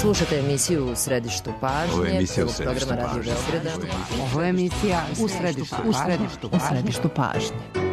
Slušate emisiju U središtu pažnje. Ovo je emisija U središtu pažnje. Ovo je emisija U središtu pažnje.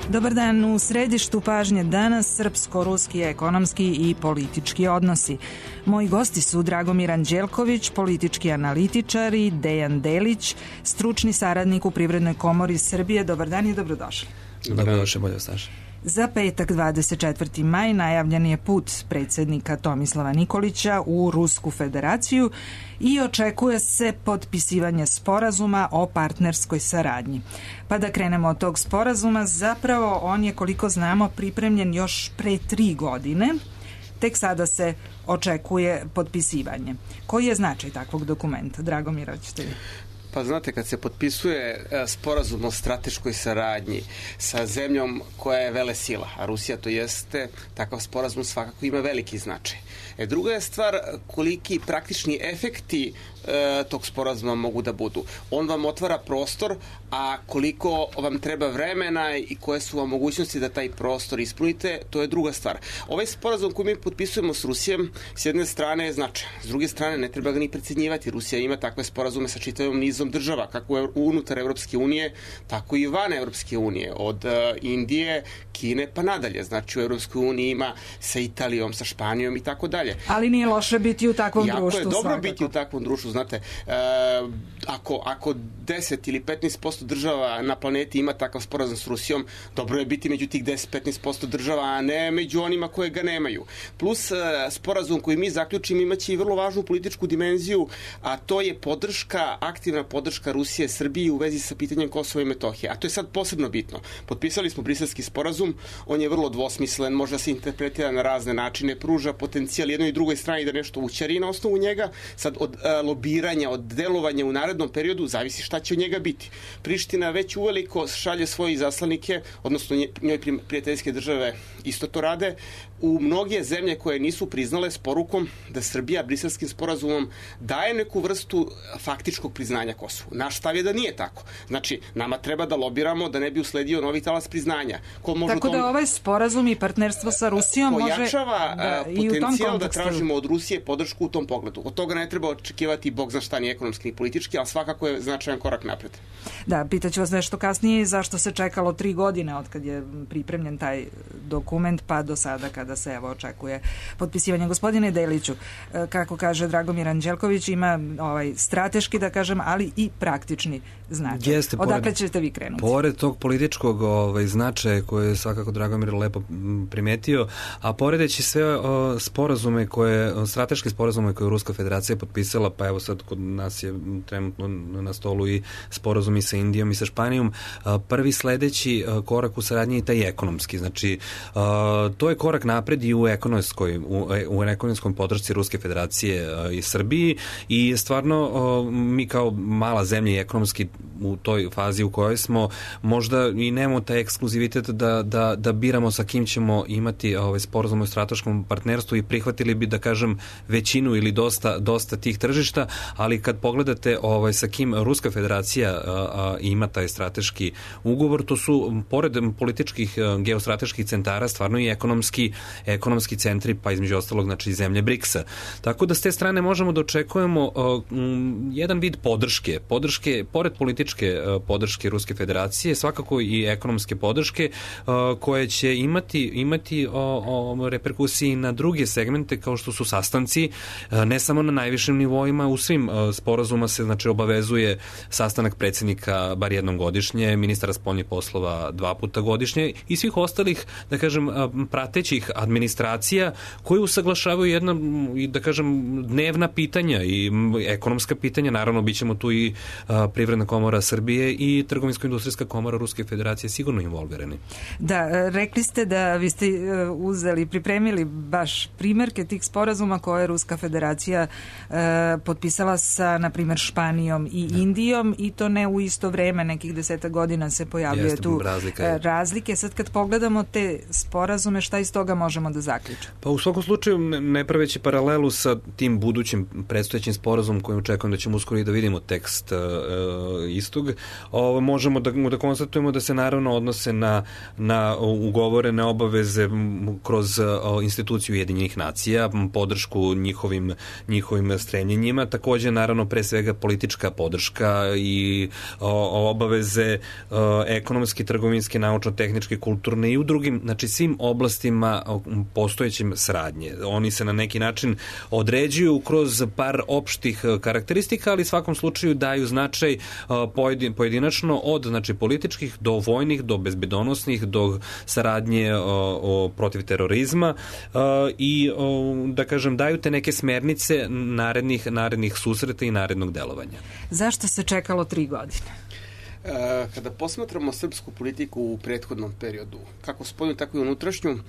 Dobar dan, u središtu pažnje danas srpsko-ruski ekonomski i politički odnosi. Moji gosti su Dragomir Anđelković, politički analitičar, i Dejan Delić, stručni saradnik u Privrednoj komori Srbije. Dobar dan i dobrodošli. Dobrodošli, bolje staž. Za petak 24. maj najavljen je put predsjednika Tomislava Nikolića u Rusku federaciju i očekuje se potpisivanje sporazuma o partnerskoj saradnji. Pa da krenemo od tog sporazuma, zapravo on je, koliko znamo, pripremljen još pre 3 godine. Tek sada se očekuje potpisivanje. Koji je značaj takvog dokumenta? Dragomir, hoćete vi? Pa znate, kad se potpisuje sporazum o strateškoj saradnji sa zemljom koja je velesila, a Rusija to jeste, takav sporazum svakako ima veliki značaj. Druga je stvar koliki praktični efekti tog sporazuma mogu da budu. On vam otvara prostor, a koliko vam treba vremena i koje su vam mogućnosti da taj prostor ispunite, to je druga stvar. Ovaj sporazum koji mi potpisujemo s Rusijom, s jedne strane je značajan, s druge strane ne treba ga ni precenjivati. Rusija ima takve sporazume sa čitavim nizom država, kako unutar Evropske unije, tako i van Evropske unije, od Indije, Kine pa nadalje. Znači u Evropskoj uniji ima sa Italijom, sa Španijom i tako dalje. Ali nije loše biti u takvom društvu. Jako je dobro svakako biti u takvom društvu. Znate, ako 10 ili 15% država na planeti ima takav sporazum s Rusijom, dobro je biti među tih 10-15% država, a ne među onima koje ga nemaju. Plus, sporazum koji mi zaključimo imaće i vrlo važnu političku dimenziju, a to je podrška, aktivna podrška Rusije Srbiji u vezi sa pitanjem Kosova i Metohije. A to je sad posebno bitno. Potpisali smo Briselski sporazum, on je vrlo dvosmislen, može da se interpretira na razne načine, pruža potencijal jednoj i drugoj strani da nešto ućari na osnovu njega. Sad od lobiranja, od delovanja u narednom periodu zavisi šta će od njega biti. Priština već uveliko šalje svoje izaslanike, odnosno njoj prijateljske države isto to rade, u mnoge zemlje koje nisu priznale s porukom da Srbija Briselskim sporazumom daje neku vrstu faktičkog priznanja Kosovu. Naš stav je da nije tako. Znači, nama treba da lobiramo da ne bi usledio novi talas priznanja. Tako da ovaj sporazum i partnerstvo sa Rusijom pojačava može potencijal da tražimo od Rusije podršku u tom pogledu. Od toga ne treba očekivati bog zna šta, ni ekonomski ni politički, ali svakako je značajan korak napred. Da, pitaću vas nešto kasnije zašto se čekalo 3 godine od kad je pripremljen taj dokument pa do sada kada se očekuje potpisivanje. Gospodine Deliću, kako kaže Dragomir Anđelković, ima strateški, da kažem, ali i praktični značaj. Odakle ćete vi krenuti? Pored tog političkog značaja koje je svakako Dragomir lepo primetio, a poredeći sve sporazume strateške sporazume koje je Ruska federacija potpisala, pa evo sad kod nas je trenutno na stolu i sporazumi sa Indijom i sa Španijom, prvi sledeći korak u saradnji je taj ekonomski. Znači, to je korak napred i u ekonomskom podršci Ruske federacije i Srbiji, i stvarno mi kao mala zemlja i ekonomski u toj fazi u kojoj smo, možda i nemamo taj ekskluzivitet da biramo sa kim ćemo imati sporazum o strateškom partnerstvu i prihvatili bi, da kažem, većinu ili dosta tih tržišta, ali kad pogledate sa kim Ruska federacija ima taj strateški ugovor, to su pored političkih geostrateških centara stvarno i ekonomski ekonomski centri, pa između ostalog znači zemlje BRICS-a. Tako da s te strane možemo da očekujemo jedan vid podrške, pored političke podrške Ruske federacije, svakako i ekonomske podrške koje će imati reperkusiji na druge segmente kao što su sastanci, ne samo na najvišim nivoima, u svim sporazuma se znači obavezuje sastanak predsjednika bar jednom godišnje, ministara spoljnih poslova 2 puta godišnje i svih ostalih, da kažem, pratećih administracija koji usaglašavaju jedna, da kažem, dnevna pitanja i ekonomska pitanja. Naravno, bit ćemo tu i Privredna komora Srbije i Trgovinsko-industrijska komora Ruske federacije sigurno involvirani. Da, rekli ste da vi ste pripremili baš primjerke tih sporazuma koje je Ruska federacija potpisala sa, na primjer, Španijom i Indijom i to ne u isto vreme, nekih 10 godina se pojavljuje tu razlike. Sad kad pogledamo te sporazume, šta iz toga možemo da zaključimo? Pa u svakom slučaju, ne praveći paralelu sa tim budućim predstojećim sporazumom kojim očekujem da ćemo uskoro i da vidimo tekst istog, možemo da konstatujemo da se naravno odnose na ugovorene obaveze kroz instituciju Ujedinjenih nacija, podršku njihovim stremljenjima, takođe naravno pre svega politička podrška i obaveze ekonomske, trgovinske, naučno-tehničke, kulturne i u drugim, znači svim oblastima postojećim saradnje. Oni se na neki način određuju kroz par opštih karakteristika, ali u svakom slučaju daju značaj pojedinačno od znači političkih do vojnih, do bezbedonosnih, do saradnje protiv terorizma i da kažem daju te neke smernice narednih susreta i narednog delovanja. Zašto se čekalo 3 godine? Kada posmatramo srpsku politiku u prethodnom periodu, kako spoljnu, tako i unutrašnju,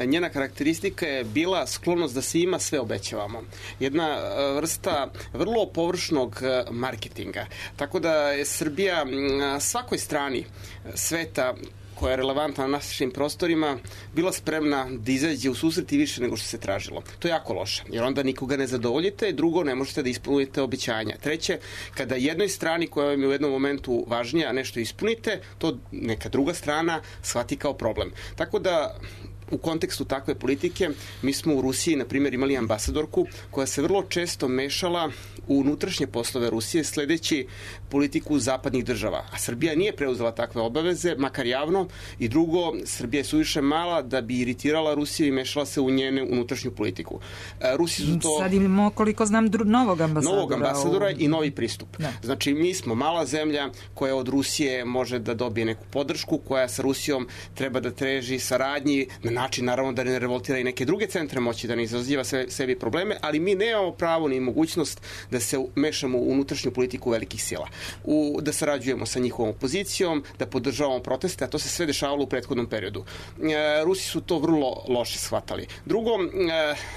njena karakteristika je bila sklonost da se ima sve obećavamo. Jedna vrsta vrlo površnog marketinga. Tako da je Srbija svakoj strani sveta koja je relevantna na našim prostorima, bila spremna da izađe u susret i više nego što se tražilo. To je jako loše, jer onda nikoga ne zadovoljite, drugo, ne možete da ispunite obećanja. Treće, kada jednoj strani koja vam je u jednom momentu važnija nešto ispunite, to neka druga strana shvati kao problem. Tako da u kontekstu takve politike mi smo u Rusiji, na primjer, imali ambasadorku koja se vrlo često mešala u unutrašnje poslove Rusije sledeći politiku zapadnih država. A Srbija nije preuzela takve obaveze, makar javno, i drugo, Srbija je suviše mala da bi iritirala Rusiju i mešala se u njene unutrašnju politiku. Rusi su to... Sad imamo, koliko znam, novog ambasadora i novi pristup. Da. Znači, mi smo mala zemlja koja od Rusije može da dobije neku podršku, koja sa Rusijom treba da teži saradnji na način, naravno, da ne revoltira i neke druge centre moći, da ne izaziva sebi probleme, ali mi nemamo pravo ni mogućnost da se mešamo u unutrašnju politiku velikih sila. Da sarađujemo sa njihovom opozicijom, da podržavamo proteste, a to se sve dešavalo u prethodnom periodu. Rusi su to vrlo loše shvatali. Drugo,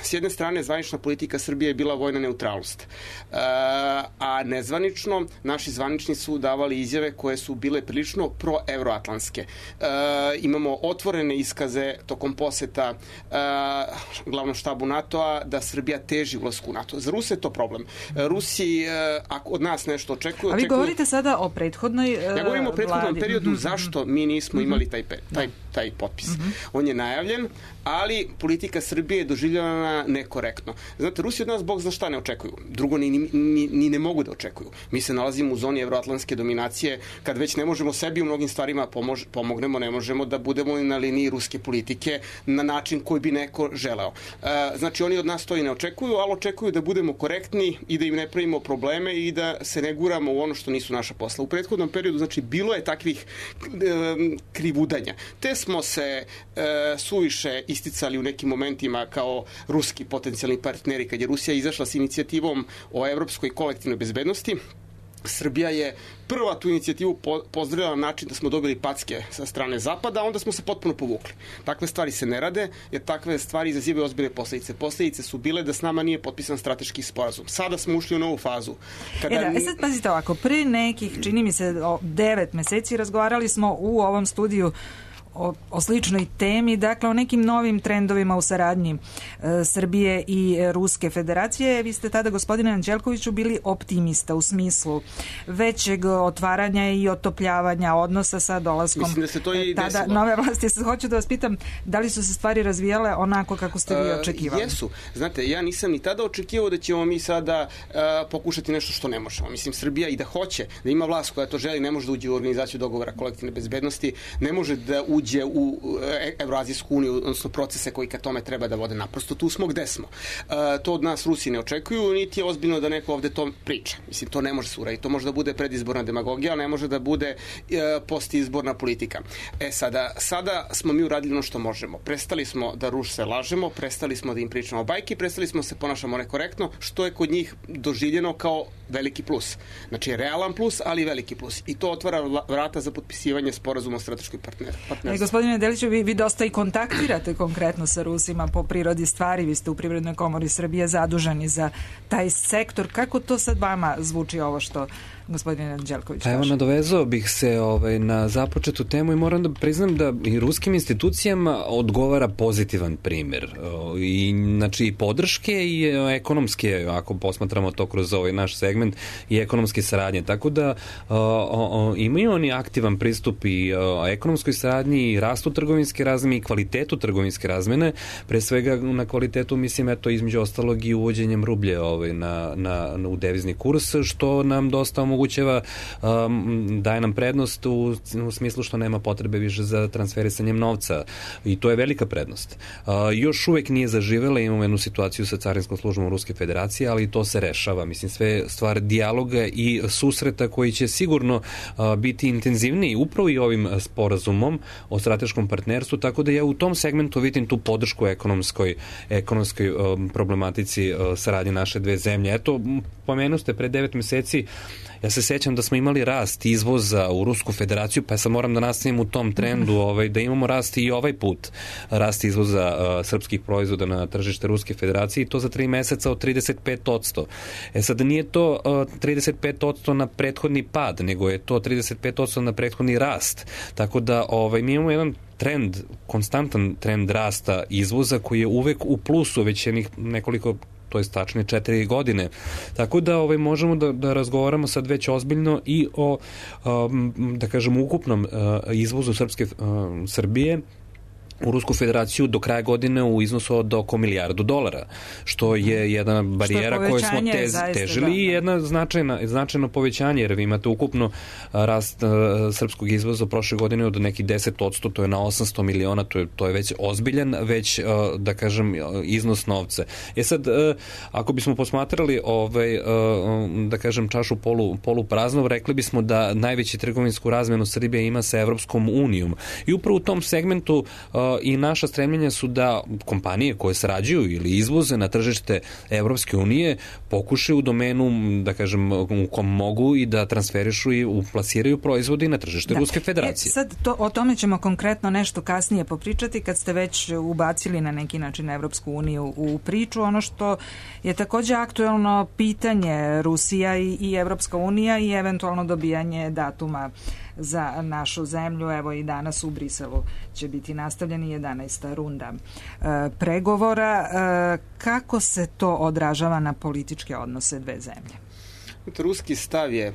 s jedne strane, zvanična politika Srbije je bila vojna neutralnost. A nezvanično, naši zvanični su davali izjave koje su bile prilično proevroatlantske. Imamo otvorene iskaze tokom poseta glavnom štabu NATO-a da Srbija teži ulasku u NATO. Za Ruse je to problem. Rusi, ako od nas nešto očekuju... A vi govorite sada o prethodnoj Ja govorim o prethodnom periodu zašto mi nismo imali taj potpis. On je najavljen, ali politika Srbije je doživljavana nekorektno. Znate, Rusi od nas Bog zna šta ne očekuju. Drugo, ni ne mogu da očekuju. Mi se nalazimo u zoni evroatlantske dominacije, kad već ne možemo sebi u mnogim stvarima pomognemo, ne možemo da budemo na liniji ruske politike na način koji bi neko želeo. Znači, oni od nas to i ne očekuju, ali očekuju da budemo korektni i da im ne pravimo probleme i da se ne guramo u ono što nisu naša posla. U prethodnom periodu, znači, bilo je takvih krivudanja. Te smo se suviše isticali u nekim momentima kao ruski potencijalni partneri. Kad je Rusija izašla s inicijativom o evropskoj kolektivnoj bezbednosti, Srbija je prva tu inicijativu pozdravila na način da smo dobili packe sa strane Zapada, a onda smo se potpuno povukli. Takve stvari se ne rade, jer takve stvari izazivaju ozbiljne posledice. Posledice su bile da s nama nije potpisan strateški sporazum. Sada smo ušli u novu fazu. Sad pazite ovako, pre nekih, čini mi se, 9 meseci razgovarali smo u ovom studiju o sličnoj temi, dakle o nekim novim trendovima u saradnji Srbije i Ruske federacije. Vi ste tada, gospodine Anđelkoviću, bili optimista u smislu većeg otvaranja i otopljavanja odnosa sa dolaskom tada nove vlasti. Hoću da vas pitam, da li su se stvari razvijale onako kako ste vi očekivali? Jesu. Znate, ja nisam ni tada očekivao da ćemo mi sada pokušati nešto što ne možemo. Mislim, Srbija i da hoće, da ima vlast koja to želi, ne može da uđe u organizaciju dogovora kolektivne bezbednosti, ne može da uđe u Evroazijsku uniju, odnosno procese koji ka tome treba da vode. Naprosto tu smo gde smo. To od nas Rusi ne očekuju, niti je ozbiljno da neko ovde to priča. Mislim, to ne može se uraditi. To može da bude predizborna demagogija, ali ne može da bude postizborna politika. Sada smo mi uradili ono što možemo. Prestali smo da Ruse lažemo, prestali smo da im pričamo bajke, prestali smo da se ponašamo nekorektno, što je kod njih doživljeno kao veliki plus. Znači, realan plus, ali veliki plus. I to otvara vrata za potpisivanje sporazuma o strateškoj partnerstvu. Gospodine Deliću, vi dosta i kontaktirate konkretno sa Rusima po prirodi stvari. Vi ste u Privrednoj komori Srbije zaduženi za taj sektor. Kako to sad vama zvuči ovo što gospodin Anđelković kaže? Evo, nadovezao bih se na započetu temu i moram da priznam da i ruskim institucijama odgovara pozitivan primjer. Znači, i podrške i ekonomske, ako posmatramo to kroz ovaj naš segment, i ekonomske saradnje. Tako da imaju oni aktivan pristup i ekonomskoj saradnji, i rastu trgovinske razmene i kvalitetu trgovinske razmene. Pre svega na kvalitetu, mislim, između ostalog i uvođenjem rublje u devizni kurs, što nam dosta omogućava, daje nam prednost u smislu što nema potrebe više za transferisanjem novca, i to je velika prednost. Još uvek nije zaživela, imamo jednu situaciju sa Carinskom službom Ruske federacije, ali to se rešava. Mislim, sve stvar dijaloga i susreta koji će sigurno biti intenzivniji upravo i ovim sporazumom o strateškom partnerstvu, tako da ja u tom segmentu vidim tu podršku ekonomskoj problematici saradnje naše dve zemlje. Eto, pomenuo ste pre 9 meseci, ja se sećam da smo imali rast izvoza u Rusku federaciju, pa ja sad moram da nastavim u tom trendu, da imamo rast i ovaj put, rast izvoza srpskih proizvoda na tržište Ruske federacije, i to za 3 meseca od 35%. Sad, nije to 35% na prethodni pad, nego je to 35% na prethodni rast. Tako da mi imamo jedan trend, konstantan trend rasta izvoza koji je uvek u plusu već nekoliko, to je tačnije 4 godine. Tako da možemo da razgovaramo sad već ozbiljno i o, da kažem, ukupnom izvozu Srbije u Rusku federaciju do kraja godine u iznosu od oko $1 milijardu, što je jedna barijera koju smo težili i jedna značajno povećanje, jer vi imate ukupno rast srpskog izvoza prošle godine od nekih 10%, to je na 800 miliona, to je već ozbiljan, već, da kažem, iznos novca. Sad, ako bismo posmatrali da kažem, čašu polupraznu, rekli bismo da najveći trgovinsku razmenu Srbija ima sa Evropskom unijom. I upravo u tom segmentu i naša stremljenja su da kompanije koje sarađuju ili izvoze na tržište Evropske unije pokušaju u domenu, da kažem, u kom mogu i da transferišu i uplasiraju proizvode na tržište Ruske federacije. Sad o tome ćemo konkretno nešto kasnije popričati kad ste već ubacili na neki način Evropsku uniju u priču. Ono što je takođe aktuelno pitanje, Rusija i Evropska unija i eventualno dobijanje datuma za našu zemlju. Evo i danas u Briselu će biti nastavljeni 11. runda pregovora. Kako se to odražava na političke odnose dve zemlje? Ruski stav je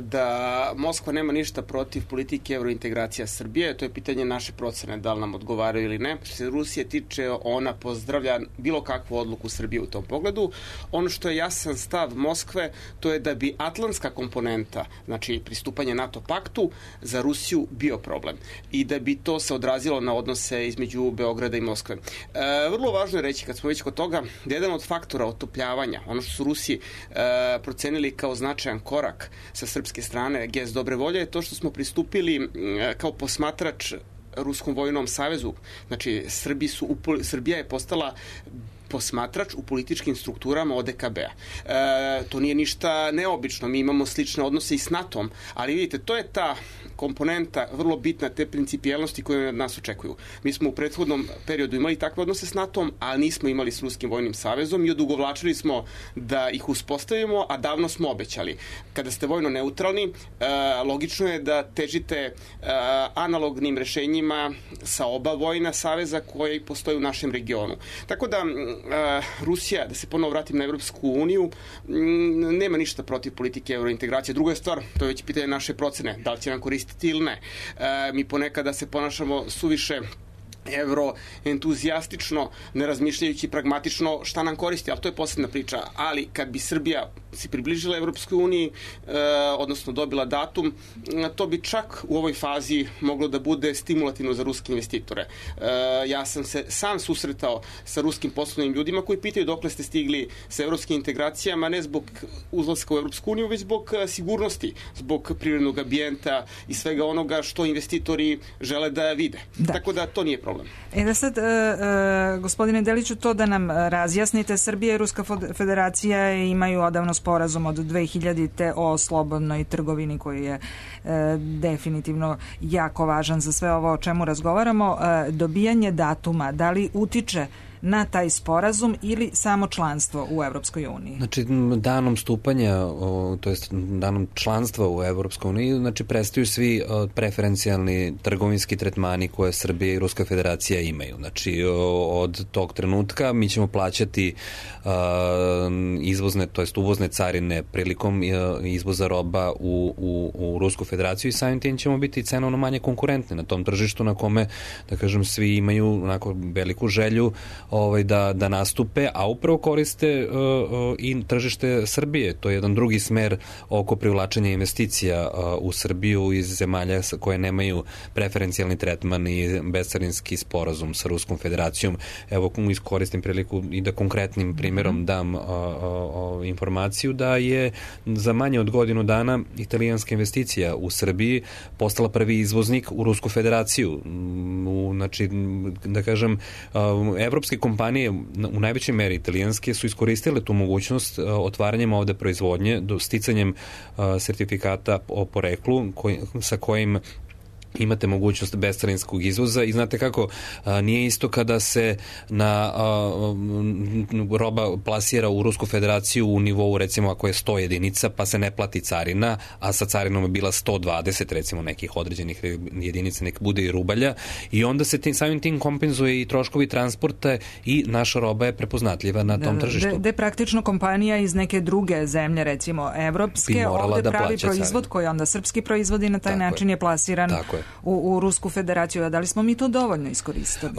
da Moskva nema ništa protiv politike evrointegracija Srbije. To je pitanje naše procene, da li nam odgovaraju ili ne. Što se Rusije tiče, ona pozdravlja bilo kakvu odluku Srbije u tom pogledu. Ono što je jasan stav Moskve, to je da bi atlantska komponenta, znači pristupanje NATO paktu, za Rusiju bio problem. I da bi to se odrazilo na odnose između Beograda i Moskve. Vrlo važno je reći, kad smo već kod toga, da jedan od faktora otopljavanja, ono što su Rusi procenili kao značajan korak sa srpske strane, gest dobre volje, je to što smo pristupili kao posmatrač Ruskom vojnom savezu. Znači, Srbija je postala posmatrač u političkim strukturama ODKB-a. To nije ništa neobično, mi imamo slične odnose i s NATO-om, ali vidite, to je ta komponenta vrlo bitna te principijelnosti koje od nas očekuju. Mi smo u prethodnom periodu imali takve odnose s NATO-om, a nismo imali s Ruskim vojnim savezom i odugovlačili smo da ih uspostavimo, a davno smo obećali. Kada ste vojno neutralni, logično je da težite analognim rešenjima sa oba vojna saveza koji postoje u našem regionu. Tako da Rusija, da se ponovo vratim na Evropsku uniju, nema ništa protiv politike eurointegracije. Druga je stvar, to je već pitanje naše procene, da li će nam koristiti ili ne. Mi ponekada se ponašamo suviše evroentuzijastično, ne razmišljajući pragmatično šta nam koristi, ali to je posebna priča. Ali kad bi Srbija se približila Evropskoj uniji, odnosno dobila datum, to bi čak u ovoj fazi moglo da bude stimulativno za ruske investitore. Ja sam se sam susretao sa ruskim poslovnim ljudima koji pitaju dokle ste stigli sa evropskim integracijama, ne zbog uzlaska u Evropsku uniju, već zbog sigurnosti, zbog privrednog ambijenta i svega onoga što investitori žele da vide. Da. Tako da to nije problem. Da sad, gospodine Deliću, to da nam razjasnite, Srbija i Ruska federacija imaju odavno sporazum od 2000. o slobodnoj trgovini koji je definitivno jako važan za sve ovo o čemu razgovaramo. Dobijanje datuma, da li utiče na taj sporazum ili samo članstvo u Evropskoj uniji? Znači, danom stupanja, to jest danom članstva u Evropskoj uniji, znači prestaju svi preferencijalni trgovinski tretmani koje Srbija i Ruska federacija imaju. Znači, od tog trenutka mi ćemo plaćati izvozne, to jest uvozne carine prilikom izvoza roba u Rusku federaciju i samim tim ćemo biti cenovno manje konkurentni na tom tržištu na kome, da kažem, svi imaju onako veliku želju da nastupe, a upravo koriste i tržište Srbije. To je jedan drugi smer oko privlačenja investicija u Srbiju iz zemalja koje nemaju preferencijalni tretman i bescarinski sporazum sa Ruskom federacijom. Evo, iskoristim priliku i da konkretnim primjerom dam informaciju da je za manje od godinu dana italijanska investicija u Srbiji postala prvi izvoznik u Rusku federaciju. Znači, da kažem, evropske kompanije u najvećoj meri italijanske su iskoristile tu mogućnost otvaranjem ovde proizvodnje, sticanjem sertifikata o poreklu sa kojim imate mogućnost bescarinskog izvoza i znate kako, nije isto kada se roba plasira u Rusku federaciju u nivou, recimo, ako je 100 jedinica, pa se ne plati carina, a sa carinom je bila 120, recimo, nekih određenih jedinica, nek bude i rubalja, i onda se samim tim kompenzuje i troškovi transporta i naša roba je prepoznatljiva na tom tržištu. Gde praktično kompanija iz neke druge zemlje, recimo evropske, ovde pravi proizvod koji onda srpski proizvod i na taj način je plasiran u Rusku federaciju. A da li smo mi to dovoljno iskoristili?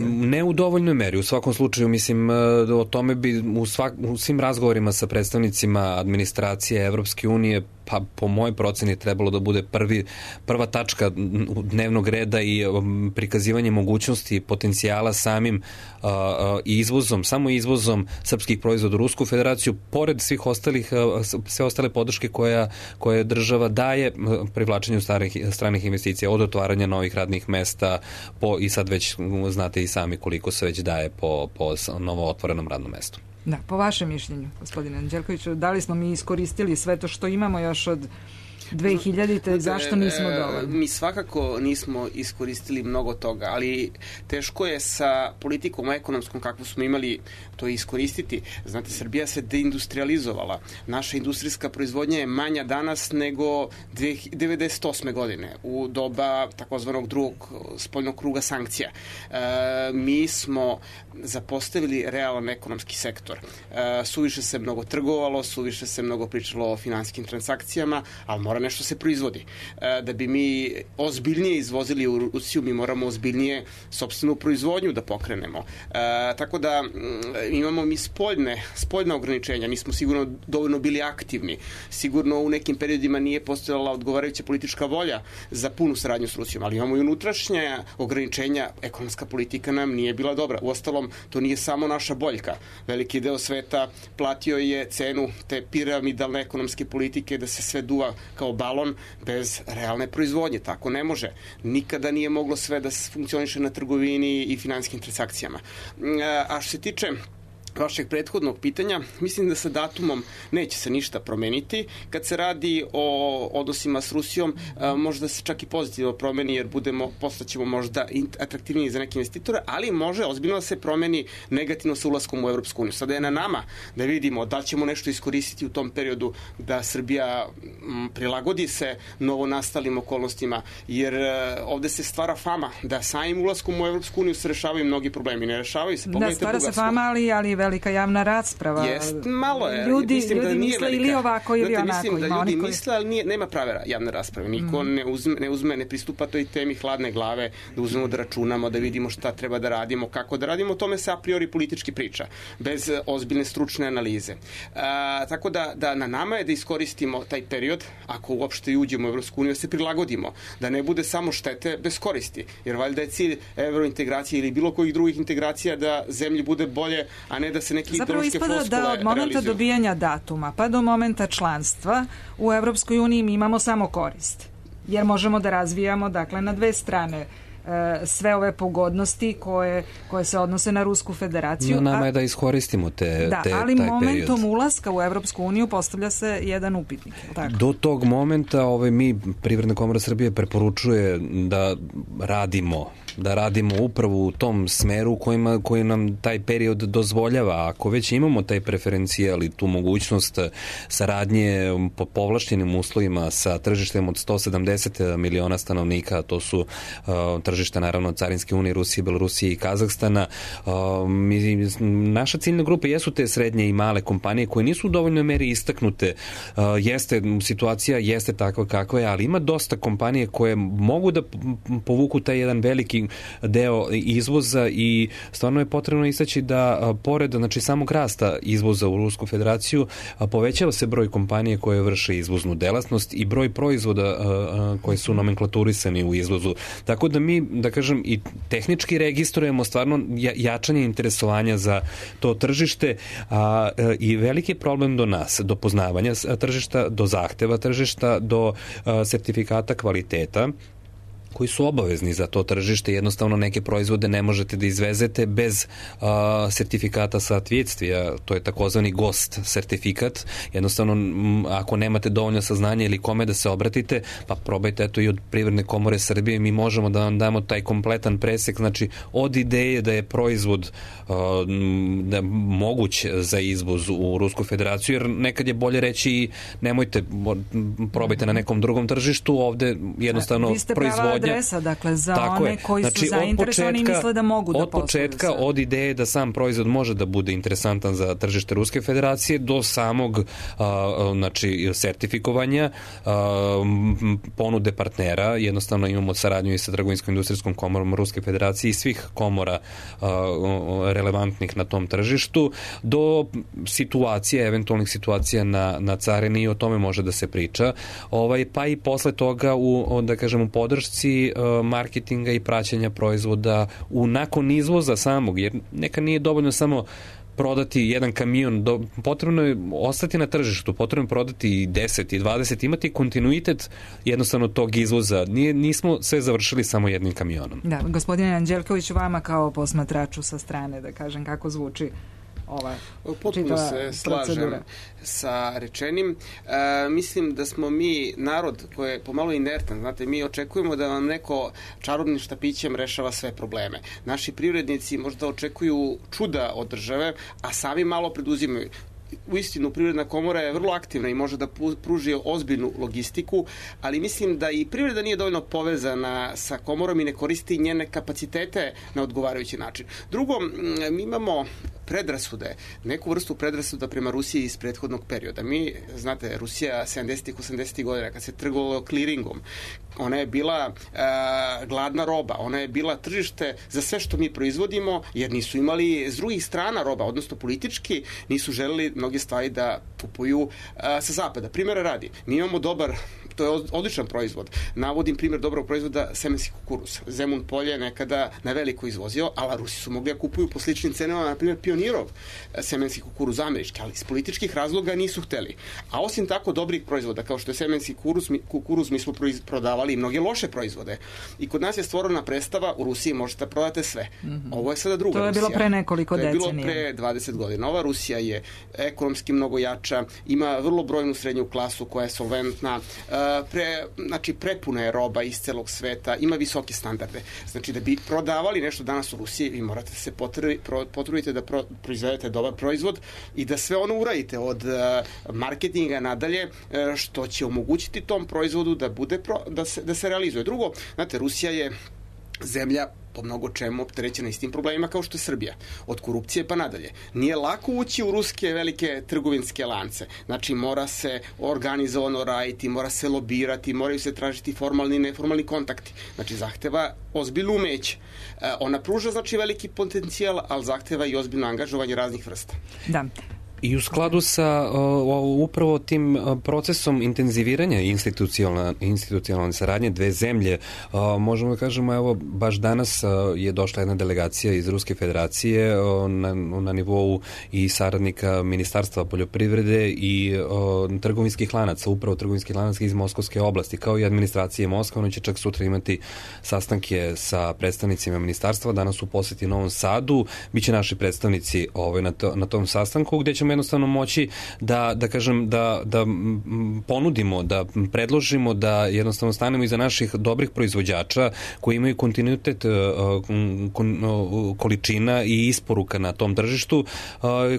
Ne u dovoljnoj meri. U svakom slučaju, mislim, o tome bi u svim razgovorima sa predstavnicima administracije Evropske unije, pa po mojoj proceni trebalo da bude prva tačka dnevnog reda i prikazivanje mogućnosti potencijala samim izvozom, samo izvozom srpskih proizvoda u Rusku federaciju, pored svih ostalih, sve ostale podrške koje država daje privlačenju stranih investicija, od otvaranja novih radnih mesta i sad već znate i sami koliko se već daje po novo otvorenom radnom mestu. Da, po vašem mišljenju, gospodine Anđelkoviću, da li smo mi iskoristili sve to što imamo još od 2000-te, zašto nismo dovoljni? Mi svakako nismo iskoristili mnogo toga, ali teško je sa politikom ekonomskom kakvu smo imali to iskoristiti. Znate, Srbija se deindustrializovala. Naša industrijska proizvodnja je manja danas nego 1998. godine, u doba takozvanog drugog spoljnog kruga sankcija. Mi smo zapostavili realan ekonomski sektor. Suviše se mnogo trgovalo, suviše se mnogo pričalo o finansijskim transakcijama, ali mora nešto se proizvodi. Da bi mi ozbiljnije izvozili u Rusiju, mi moramo ozbiljnije sopstvenu proizvodnju da pokrenemo. Tako da imamo mi spoljna ograničenja, nismo sigurno dovoljno bili aktivni. Sigurno u nekim periodima nije postojala odgovarajuća politička volja za punu saradnju s Rusijom, ali imamo i unutrašnja ograničenja. Ekonomska politika nam nije bila dobra. Uostalom, to nije samo naša boljka. Veliki deo sveta platio je cenu te piramidalne ekonomske politike da se sve duva kao balon bez realne proizvodnje. Tako ne može. Nikada nije moglo sve da funkcioniše na trgovini i finansijskim transakcijama. A što se tiče vašeg prethodnog pitanja, mislim da sa datumom neće se ništa promeniti. Kad se radi o odnosima s Rusijom, možda se čak i pozitivno promeni, jer postaćemo možda atraktivniji za neke investitore, ali može ozbiljno da se promeni negativno sa ulaskom u Evropsku uniju. Sada je na nama da vidimo da li ćemo nešto iskoristiti u tom periodu da Srbija prilagodi se novonastalim okolnostima, jer ovde se stvara fama da samim ulaskom u Evropsku uniju se rešavaju mnogi problemi. Ne rešavaju se. Da, stvara se fama, ali velika javna rasprava. Malo je. Ljudi da misle ili ovako ili onako. Mislim da ljudi misle, ali nema prave javne rasprave. Niko ne pristupa toj temi hladne glave, da uzmemo da računamo, da vidimo šta treba da radimo, kako da radimo. O tome se a priori politički priča, bez ozbiljne stručne analize. Tako da na nama je da iskoristimo taj period, ako uopšte i uđemo u Evropsku uniju, da se prilagodimo, da ne bude samo štete bez koristi. Jer valjda je cilj evrointegracije ili bilo kojih drugih integracija da zemlji bude bolje, a ne da se neki ideološke floskule realizuju. Zapravo ispada da od momenta dobijanja datuma pa do momenta članstva u Evropskoj uniji mi imamo samo korist. Jer možemo da razvijamo, dakle, na dve strane sve ove pogodnosti koje se odnose na Rusku federaciju. No, nama je da iskoristimo taj ali period. momentom ulaska u Evropsku uniju postavlja se jedan upitnik. Tako? Do tog momenta mi, Privredna komora Srbije, preporučuje da radimo upravo u tom smeru koji nam taj period dozvoljava. Ako već imamo taj preferencijal i tu mogućnost saradnje po povlašćenim uslovima sa tržištem od 170 miliona stanovnika, to su tržišta naravno Carinske unije, Rusije, Belorusije i Kazahstana, naša ciljna grupa jesu te srednje i male kompanije koje nisu u dovoljnoj meri istaknute. Situacija jeste takva kakva je, ali ima dosta kompanije koje mogu da povuku taj jedan veliki deo izvoza i stvarno je potrebno istaći da pored samog rasta izvoza u Rusku federaciju povećava se broj kompanije koje vrše izvoznu delatnost i broj proizvoda koji su nomenklaturisani u izvozu. Tako da mi, da kažem, i tehnički registrujemo stvarno jačanje interesovanja za to tržište i veliki problem do nas, do poznavanja tržišta, do zahteva tržišta, do sertifikata kvaliteta koji su obavezni za to tržište. Jednostavno neke proizvode ne možete da izvezete bez sertifikata соответствия, to je takozvani GOST sertifikat. Jednostavno, ako nemate dovoljno saznanja ili kome da se obratite, pa probajte eto i od Privredne komore Srbije, mi možemo da vam damo taj kompletan presek, znači od ideje da je proizvod da moguć za izvoz u Rusku federaciju, jer nekad je bolje reći nemojte, probajte na nekom drugom tržištu, ovde jednostavno proizvodnja adresa, dakle, za one koji su zainteresovani i misle da mogu da posluju. Od početka, od ideje da sam proizvod može da bude interesantan za tržište Ruske federacije do samog sertifikovanja, ponude partnera. Jednostavno imamo saradnju i sa Trgovinsko-industrijskom komorom Ruske federacije i svih komora relevantnih na tom tržištu, do situacije, eventualnih situacija na carini, i o tome može da se priča. Pa i posle toga u podršci marketinga i praćenja proizvoda nakon izvoza samog, jer neka nije dovoljno samo prodati jedan kamion, potrebno je ostati na tržištu, potrebno je prodati i 10 i 20, imati kontinuitet jednostavno tog izvoza. Nismo sve završili samo jednim kamionom. Da, gospodine Anđelković, vama kao posmatraču sa strane, da kažem, kako zvuči ova potpuno se slažem sa rečenim. Mislim da smo mi narod koji je pomalo inertan. Znate, mi očekujemo da vam neko čarobnim štapićem rešava sve probleme. Naši privrednici možda očekuju čuda od države, a sami malo preduzimaju. Uistinu, Privredna komora je vrlo aktivna i može da pruži ozbiljnu logistiku, ali mislim da i privreda nije dovoljno povezana sa komorom i ne koristi njene kapacitete na odgovarajući način. Drugo, mi imamo predrasude, neku vrstu predrasuda prema Rusiji iz prethodnog perioda. Mi, znate, Rusija 70-ih, 80-ih godina, kad se trgovalo kliringom, ona je bila gladna roba, ona je bila tržište za sve što mi proizvodimo, jer nisu imali s drugih strana roba, odnosno politički nisu želeli mnoge stvari da kupuju sa zapada. Primjera radi, mi imamo dobar to je odličan proizvod. Navodim primjer dobrog proizvoda semenski kukuruz. Zemun polje nekada na veliko izvozio, ali Rusi su mogli da kupuju po sličnim cenama, na primjer Pionirov semenski kukuruz američki, ali iz političkih razloga nisu hteli. A osim tako dobrih proizvoda, kao što je semenski kukuruz, mi smo prodavali i mnoge loše proizvode. I kod nas je stvorena predstava, u Rusiji možete da prodate sve. Ovo je sada druga Rusija. To je bilo pre nekoliko decenija. To je bilo pre 20 godina. Ova Rusija je ekonomski mnogo jača, ima vrlo brojnu srednju klasu koja je solventna, prepuna je roba iz celog sveta, ima visoke standarde. Znači, da bi prodavali nešto danas u Rusiji, vi morate se potrudite da proizvedete dobar proizvod i da sve ono uradite od marketinga nadalje, što će omogućiti tom proizvodu da se realizuje. Drugo, znate, Rusija je zemlja po mnogo čemu opterećena istim problemima kao što je Srbija. Od korupcije pa nadalje. Nije lako ući u ruske velike trgovinske lance. Znači, mora se organizovano raditi, mora se lobirati, moraju se tražiti formalni i neformalni kontakti. Znači, zahteva ozbiljno umeće. Ona pruža, znači, veliki potencijal, ali zahteva i ozbiljno angažovanje raznih vrsta. Da. I u skladu sa upravo tim procesom intenziviranja institucionalne saradnje dve zemlje, možemo da kažemo, evo, baš danas je došla jedna delegacija iz Ruske federacije na nivou i saradnika Ministarstva poljoprivrede i trgovinskih lanaca, upravo trgovinskih lanaca iz Moskovske oblasti, kao i administracije Moskva. Ono će čak sutra imati sastanke sa predstavnicima ministarstva, danas u poseti Novom Sadu, biće naši predstavnici na tom sastanku, gde ćemo jednostavno moći da ponudimo, da predložimo, da jednostavno stanemo iza naših dobrih proizvođača koji imaju kontinuitet količina i isporuka na tom tržištu,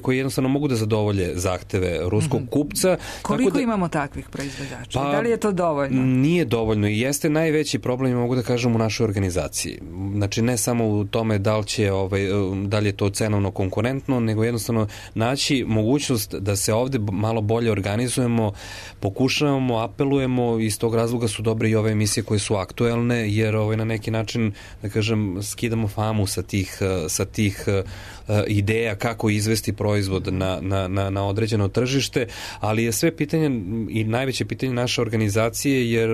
koji jednostavno mogu da zadovolje zahteve ruskog kupca. Koliko imamo takvih proizvođača? Da li je to dovoljno? Nije dovoljno i jeste najveći problem, mogu da kažem, u našoj organizaciji. Znači, ne samo u tome da li je to cenovno konkurentno, nego jednostavno naći mogućnost da se ovde malo bolje organizujemo, pokušavamo, apelujemo, iz tog razloga su dobre i ove emisije koje su aktuelne, jer na neki način, da kažem, skidamo famu sa tih ideja kako izvesti proizvod na određeno tržište, ali je sve pitanje i najveće pitanje naše organizacije, jer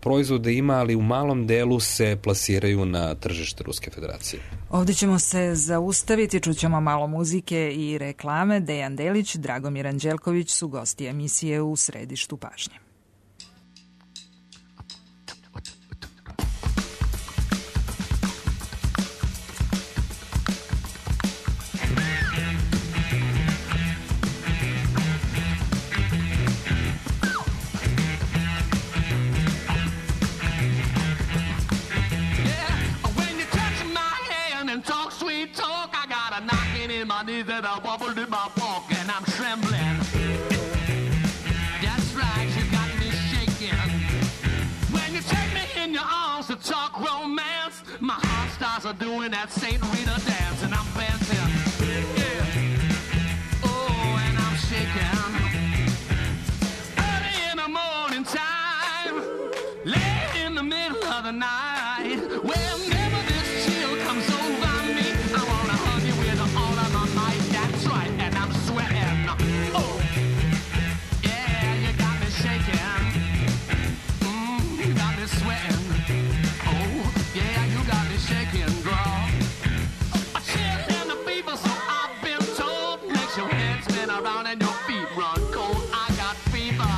proizvode ima, ali u malom delu se plasiraju na tržište Ruske federacije. Ovde ćemo se zaustaviti, čućemo malo muzike i reklame. Dejan Delić, Dragomir Anđelković su gosti emisije U središtu pažnje. My knees that I wobbled in my walk and I'm trembling. That's right, you got me shaking. When you take me in your arms to talk romance, my heart starts doing that Saint Rita dance and I'm dancing. Yeah. Oh, and I'm shaking. Early in the morning time, late in the middle of the night, whenever this chill comes over me, I wanna hug you with all of my might. That's right, and I'm sweating. Oh, yeah, you got me shaking. You got me sweating. Oh, yeah, you got me shaking, girl. A chill in the fever, so I've been told. Makes your head spin around and your feet run cold. I got fever.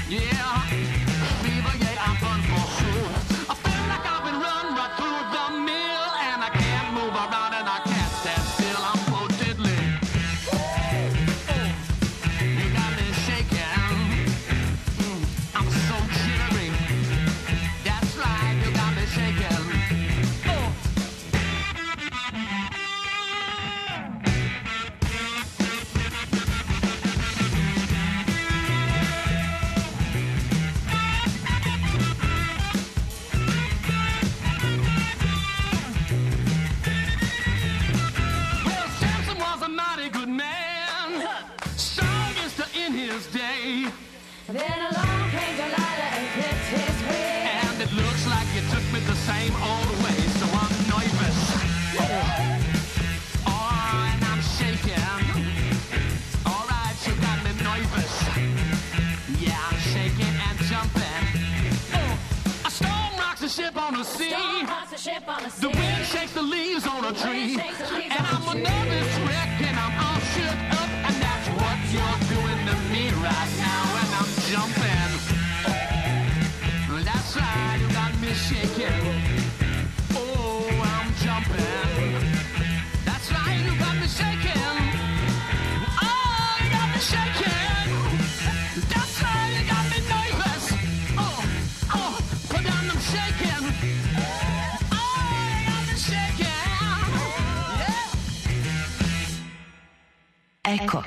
Yeah, fever, yeah, I'm done for. ship on the sea. The wind shakes the leaves on a tree. And I'm a nervous wreck and I'm all shook up. And that's what you're doing to me right now. And I'm jumping. That's right, you got me shaking. Oh, I'm jumping. That's right, you got me shaking. Oh, you got me shaking. That's right, you got me nervous. Oh, put down them shaking. Oh, you got me shaking. Yeah. Eko.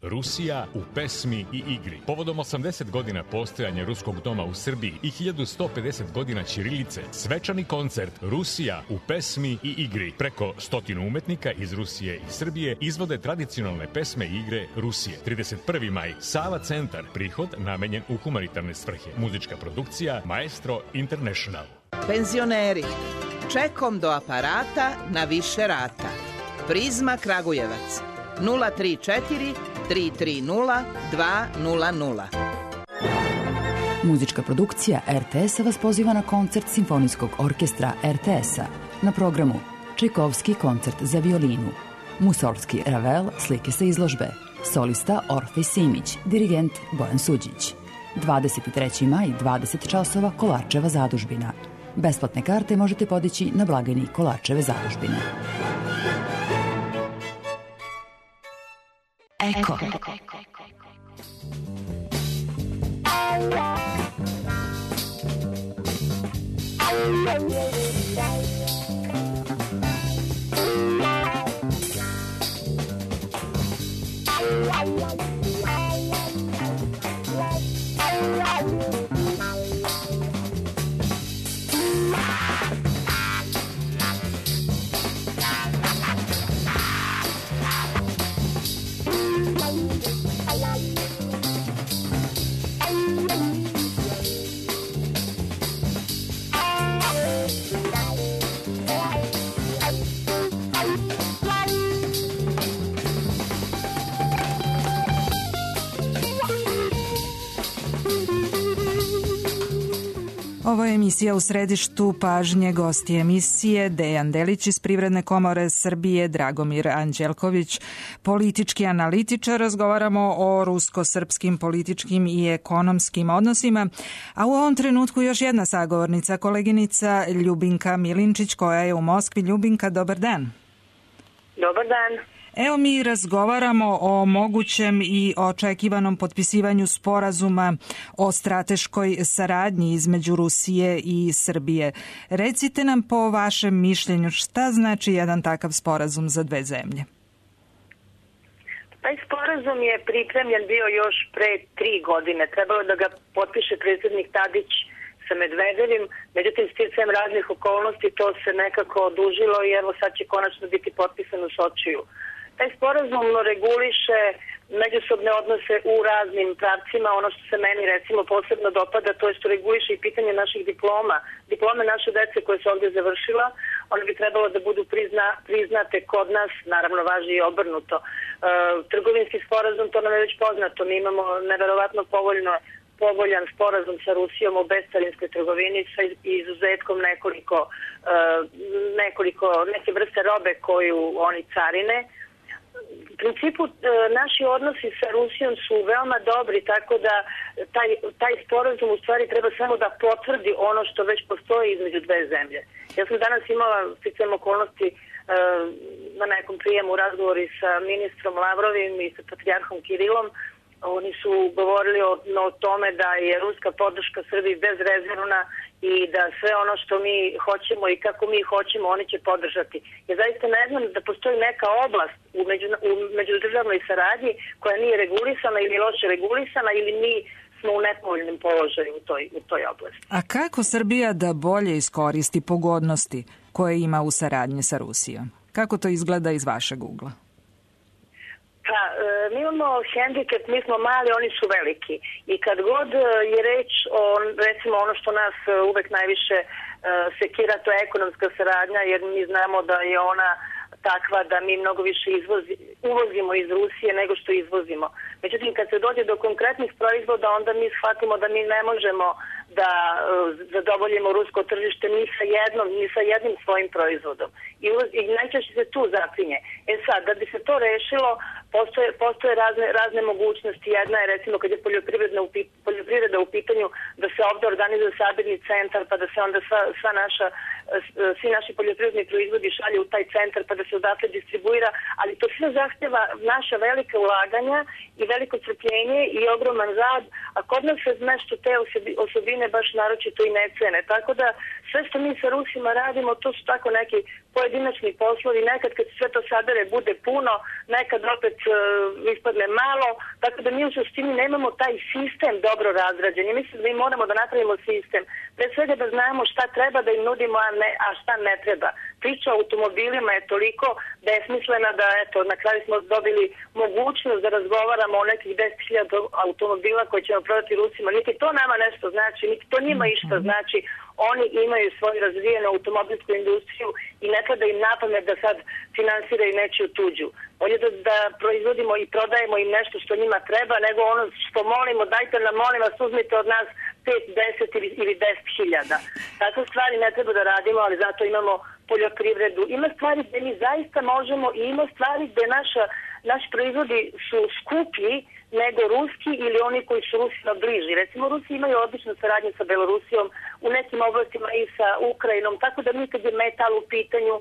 Rusija u pesmi i igri. Povodom 80 godina postojanja Ruskog doma u Srbiji i 1150 godina ćirilice, svečani koncert Rusija u pesmi i igri. Preko 100 umetnika iz Rusije i Srbije izvode tradicionalne pesme i igre Rusije. 31. maj, Sava centar, prihod namenjen u humanitarne svrhe. Muzička produkcija Maestro International. Penzioneri, čekom do aparata na više rata. Prizma Kragujevac 034 330 200. Muzička produkcija RTS-a vas poziva na koncert Simfonijskog orkestra RTS-a. Na programu Čajkovski koncert za violinu, Musorgski Ravel, slike sa izložbe, solista Orfej Simić, dirigent Bojan Suđić. 23. maj, 20 časova, Kolarčeva zadužbina. Besplatne karte možete podići na blagajni Kolarčeve zadužbine. Eko. Ovo je emisija U središtu pažnje. Gosti emisije Dejan Delić iz Privredne komore Srbije, Dragomir Anđelković, politički analitičar. Razgovaramo o rusko-srpskim političkim i ekonomskim odnosima, a u ovom trenutku još jedna sagovornica, koleginica Ljubinka Milinčić, koja je u Moskvi. Ljubinka, dobar dan. Dobar dan. Evo, mi razgovaramo o mogućem i očekivanom potpisivanju sporazuma o strateškoj saradnji između Rusije i Srbije. Recite nam po vašem mišljenju šta znači jedan takav sporazum za dve zemlje? Taj sporazum je pripremljen bio još pre 3 godine. Trebalo da ga potpiše predsjednik Tadić sa Medvedevim, međutim sticajem raznih okolnosti to se nekako odužilo i evo sad će konačno biti potpisan u Sočiju. Taj sporazum reguliše međusobne odnose u raznim pravcima. Ono što se meni recimo posebno dopada, to je što reguliše i pitanje naših diploma. Diplome naše dece koje se ovdje završila, one bi trebalo da budu priznate kod nas, naravno važi i obrnuto. Trgovinski sporazum, to nam je već poznato, mi imamo neverovatno povoljan sporazum sa Rusijom o bescarinskoj trgovini sa izuzetkom neke vrste robe koju oni carine. U principu naši odnosi sa Rusijom su veoma dobri, tako da taj sporazum u stvari treba samo da potvrdi ono što već postoji između dve zemlje. Ja sam danas imala sticajem okolnosti na nekom prijemu razgovori sa ministrom Lavrovim i sa patrijarhom Kirilom. Oni su govorili o tome da je ruska podrška Srbiji bezrezervna i da sve ono što mi hoćemo i kako mi hoćemo oni će podržati. Ja zaista ne znam da postoji neka oblast u međudržavnoj saradnji koja nije regulisana ili loše regulisana ili mi smo u nepovoljnom položaju u toj oblasti. A kako Srbija da bolje iskoristi pogodnosti koje ima u saradnji sa Rusijom? Kako to izgleda iz vašeg ugla? Pa, mi imamo hendikep, mi smo mali, oni su veliki. I kad god je reč o, recimo, ono što nas uvek najviše sekira, to je ekonomska saradnja, jer mi znamo da je ona takva da mi mnogo više uvozimo iz Rusije nego što izvozimo. Međutim, kad se dođe do konkretnih proizvoda, onda mi shvatimo da mi ne možemo da zadovoljimo rusko tržište ni sa jednim svojim proizvodom. I najčešće se tu zapinje. Sad, da bi se to rešilo, postoje razne mogućnosti. Jedna je, recimo, kad je poljoprivreda u pitanju, da se ovde organizuje sabirni centar, pa da se onda svi naši poljoprivredni proizvodi šalju u taj centar, pa da se odatle distribuira, ali to sve zahtjeva naša velika ulaganja i veliko strpljenje i ogroman rad, a kod nas se nešto te osobine baš naročito i ne cene. Tako da sve što mi sa Rusima radimo, to su tako neki pojedinačni poslovi, nekad kad sve to sabere bude puno, nekad opet ispadne malo, tako da mi u suštini nemamo taj sistem dobro razrađen. I mislim da mi moramo da napravimo sistem. Pre svega da znamo šta treba da im nudimo, a šta ne treba. Priča o automobilima je toliko besmislena da, eto, na kraju smo dobili mogućnost da razgovaramo o nekih 10.000 automobila koje ćemo prodati Rusima. Niti to nama nešto znači, niti to njima išta znači. Oni imaju svoju razvijenu automobilsku industriju i ne pada im na pamet da sad finansiraju nečiju tuđu. Bolje da proizvodimo i prodajemo im nešto što njima treba, nego ono što molimo, dajte nam, molim vas, uzmite od nas 5, 10 ili 10.000. Takve stvari ne treba da radimo, ali zato imamo poljoprivredu. Ima stvari gde mi zaista možemo i ima stvari gde naši proizvodi su skuplji nego ruski ili oni koji su Rusima bliži. Recimo, Rusi imaju odličnu saradnju sa Belorusijom, u nekim oblastima i sa Ukrajinom, tako da mi kad je metal u pitanju,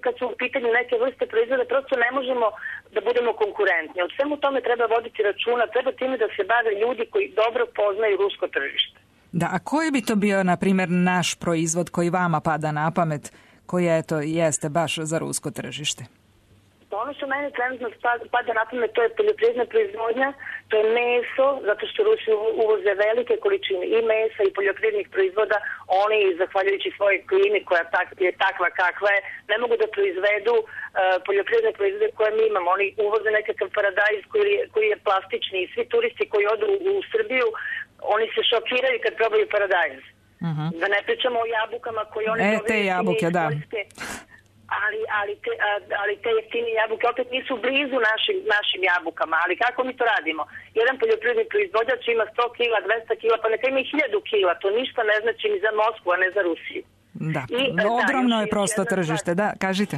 kad su u pitanju neke vrste proizvoda, prosto ne možemo da budemo konkurentni. Od svemu tome treba voditi računa, treba time da se bave ljudi koji dobro poznaju rusko tržište. Da, a koji bi to bio, na primjer, naš proizvod koji vama pada na pamet, koji jeste baš za rusko tržište? Ono što mene trenutno pada na pamet, to je poljoprivredna proizvodnja, to je meso, zato što Rusi uvoze velike količine i mesa i poljoprivrednih proizvoda. Oni, zahvaljujući svojoj klimi koja je takva kakva je, ne mogu da proizvedu poljoprivredne proizvode koje mi imamo. Oni uvoze nekakav paradajz koji je plastični i svi turisti koji odu u Srbiju, oni se šokiraju kad probaju paradajz. Da ne pričamo o jabukama koje oni dobiju. Te jabuke, da. Ali te jeftine jabuke opet nisu blizu našim jabukama. Ali kako mi to radimo? Jedan poljoprivredni proizvođač ima 100 kila, 200 kila, pa neka ima 1000 kila. To ništa ne znači ni za Moskvu, a ne za Rusiju. Da, ogromno je prosto tržište. Da, kažite.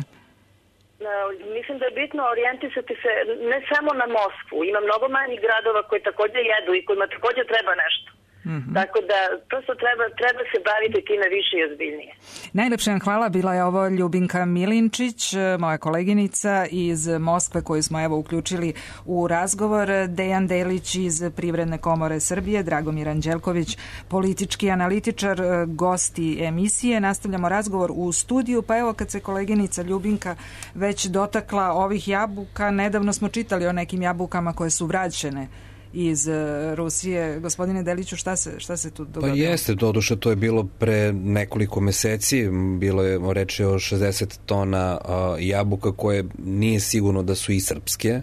Mislim da je bitno orijentisati se ne samo na Moskvu. Ima mnogo manjih gradova koji također jedu i kojima također treba nešto. Tako da prosto treba se baviti time više i ozbiljnije. Najlepše vam hvala, bila je ovo Ljubinka Milinčić, moja koleginica iz Moskve koju smo evo uključili u razgovor, Dejan Delić iz Privredne komore Srbije, Dragomir Anđelković, politički analitičar, gosti emisije. Nastavljamo razgovor u studiju, pa evo kad se koleginica Ljubinka već dotakla ovih jabuka, nedavno smo čitali o nekim jabukama koje su vraćene iz Rusije. Gospodine Deliću, šta se tu dogodilo? Pa jeste, doduše, to je bilo pre nekoliko meseci, bilo je reči o 60 tona jabuka koje nije sigurno da su i srpske,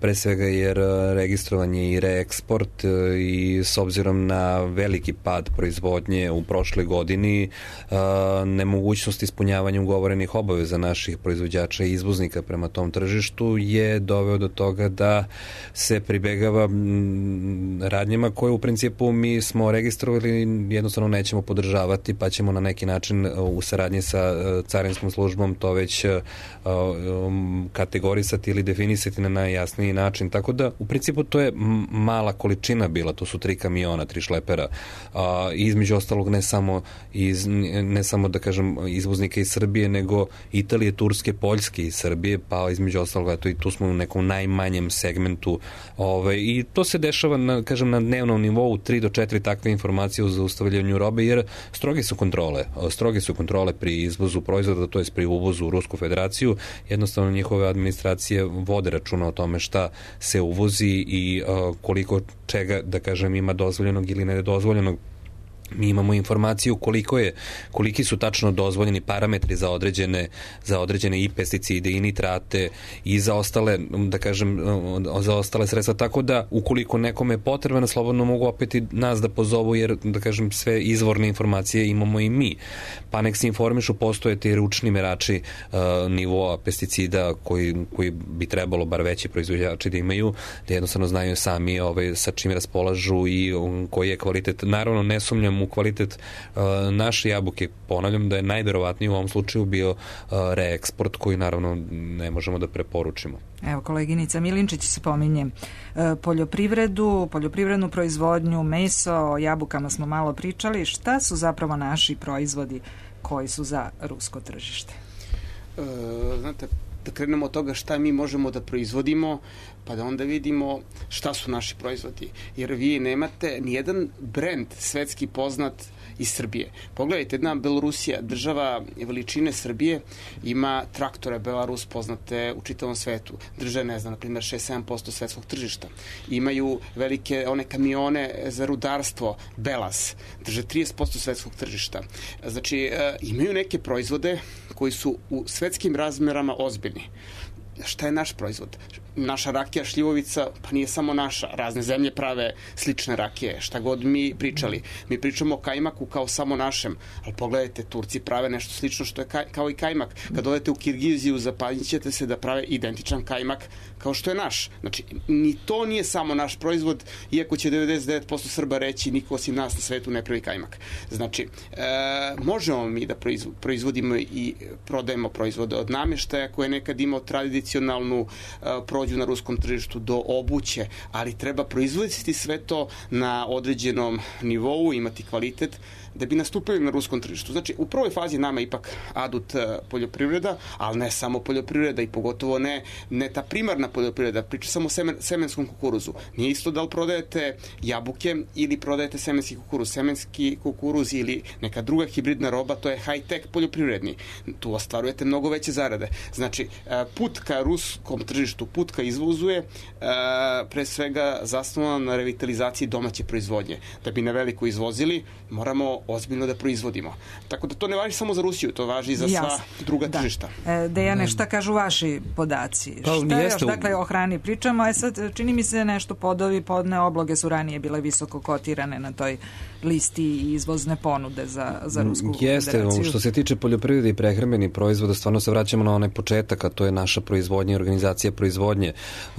pre svega jer registrovan je i reeksport i s obzirom na veliki pad proizvodnje u prošloj godini, nemogućnost ispunjavanja ugovorenih obaveza naših proizvođača i izvoznika prema tom tržištu je doveo do toga da se pribegava radnjima koje u principu mi smo registrovali, jednostavno nećemo podržavati, pa ćemo na neki način u saradnji sa carinskom službom to već kategorisati ili definisati na najjasniji način. Tako da u principu to je mala količina bila, to su 3 kamiona, 3 šlepera. Između ostalog ne samo da kažem izvoznika iz Srbije, nego Italije, Turske, Poljske i Srbije, pa između ostalog eto i tu smo u nekom najmanjem segmentu i to se dešava na dnevnom nivou 3 do 4 takve informacije o zaustavljanju robe, jer stroge su kontrole pri izvozu proizvoda, to jest pri uvozu u Rusku federaciju. Jednostavno njihove administracije vode računa o tome šta se uvozi i koliko čega, da kažem, ima dozvoljenog ili nedozvoljenog. Mi imamo informaciju koliki su tačno dozvoljeni parametri za određene i pesticide i nitrate i za ostale, da kažem, za ostale sredstva, tako da ukoliko nekome je potrebno, slobodno mogu opet i nas da pozovu, jer, da kažem, sve izvorne informacije imamo i mi. Pa nek se informišu, postoje ti ručni merači nivoa pesticida koji bi trebalo bar veći proizvođači da imaju, da jednostavno znaju sami sa čim raspolažu i koji je kvalitet. Naravno, ne sumnjam sumnjam u kvalitet naše jabuke. Ponavljam da je najverovatniji u ovom slučaju bio reeksport koji naravno ne možemo da preporučimo. Evo, koleginica Milinčić spominje poljoprivrednu proizvodnju, meso, o jabukama smo malo pričali. Šta su zapravo naši proizvodi koji su za rusko tržište? Znate, da krenemo od toga šta mi možemo da proizvodimo, pa da onda vidimo šta su naši proizvodi. Jer vi nemate nijedan brend svetski poznat iz Srbije. Pogledajte, jedna Belorusija, država veličine Srbije, ima traktore Belarus poznate u čitavom svetu. Drže, ne znam, na primjer 6-7% svetskog tržišta. Imaju velike one kamione za rudarstvo Belas, drže 30% svetskog tržišta. Znači, imaju neke proizvode koji su u svetskim razmerama ozbiljni. Šta je naš proizvod? Naša rakija šljivovica, pa nije samo naša. Razne zemlje prave slične rakije. Šta god mi pričali. Mi pričamo o kajmaku kao samo našem. Ali pogledajte, Turci prave nešto slično što je kao i kajmak. Kad odete u Kirgiziju, zapanjit ćete se da prave identičan kajmak kao što je naš. Znači, ni to nije samo naš proizvod, iako će 99% Srba reći niko osim nas na svetu ne pravi kajmak. Znači, možemo mi da proizvodimo i prodajemo proizvode od namještaja koje je nekad imao tradicionalnu prođu na ruskom tržištu do obuće, ali treba proizvoditi sve to na određenom nivou, imati kvalitet da bi nastupili na ruskom tržištu. Znači, u prvoj fazi nama ipak adut poljoprivreda, ali ne samo poljoprivreda i pogotovo ne ta primarna poljoprivreda, priča samo o semenskom kukuruzu. Nije isto da li prodajete jabuke ili prodajete semenski kukuruz. Semenski kukuruz ili neka druga hibridna roba, to je high-tech poljoprivredni. Tu ostvarujete mnogo veće zarade. Znači, put ka ruskom tržištu, put ka izvozu je pre svega zasnovan na revitalizaciji domaće proizvodnje. Da bi na veliko izvozili, moramo ozbiljno da proizvodimo. Tako da to ne važi samo za Rusiju, to važi i za sva druga tržišta. Dejane, šta kažu vaši podaci? Šta još, dakle, o hrani pričamo? Sad, čini mi se nešto podne obloge su ranije bile visoko kotirane na toj listi i izvozne ponude za Rusku federaciju. Što se tiče poljoprivrede i prehrambenih proizvoda, stvarno se vraćamo na onaj početak, a to je naša proizvodnja i organizacija proizvodnje.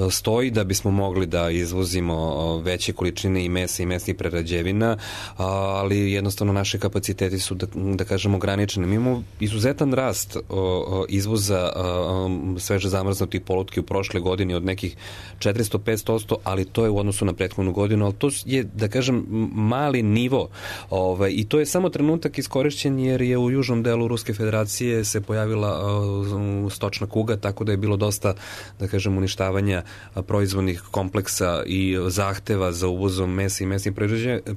Stoji da bismo mogli da izvozimo veće količine i mesa i mesnih prerađevina, ali jednostavno naše kapaciteti su, da kažemo, ograničeni. Mi imamo izuzetan rast izvoza sveže zamrznutih polutki u prošle godini od nekih 400-500%, ali to je u odnosu na prethodnu godinu, ali to je, da kažem, mali nivo. I to je samo trenutak iskorišćen jer je u južnom delu Ruske federacije se pojavila stočna kuga, tako da je bilo dosta, da kažem, uništavanja proizvodnih kompleksa i zahteva za uvozom mesa i mesnih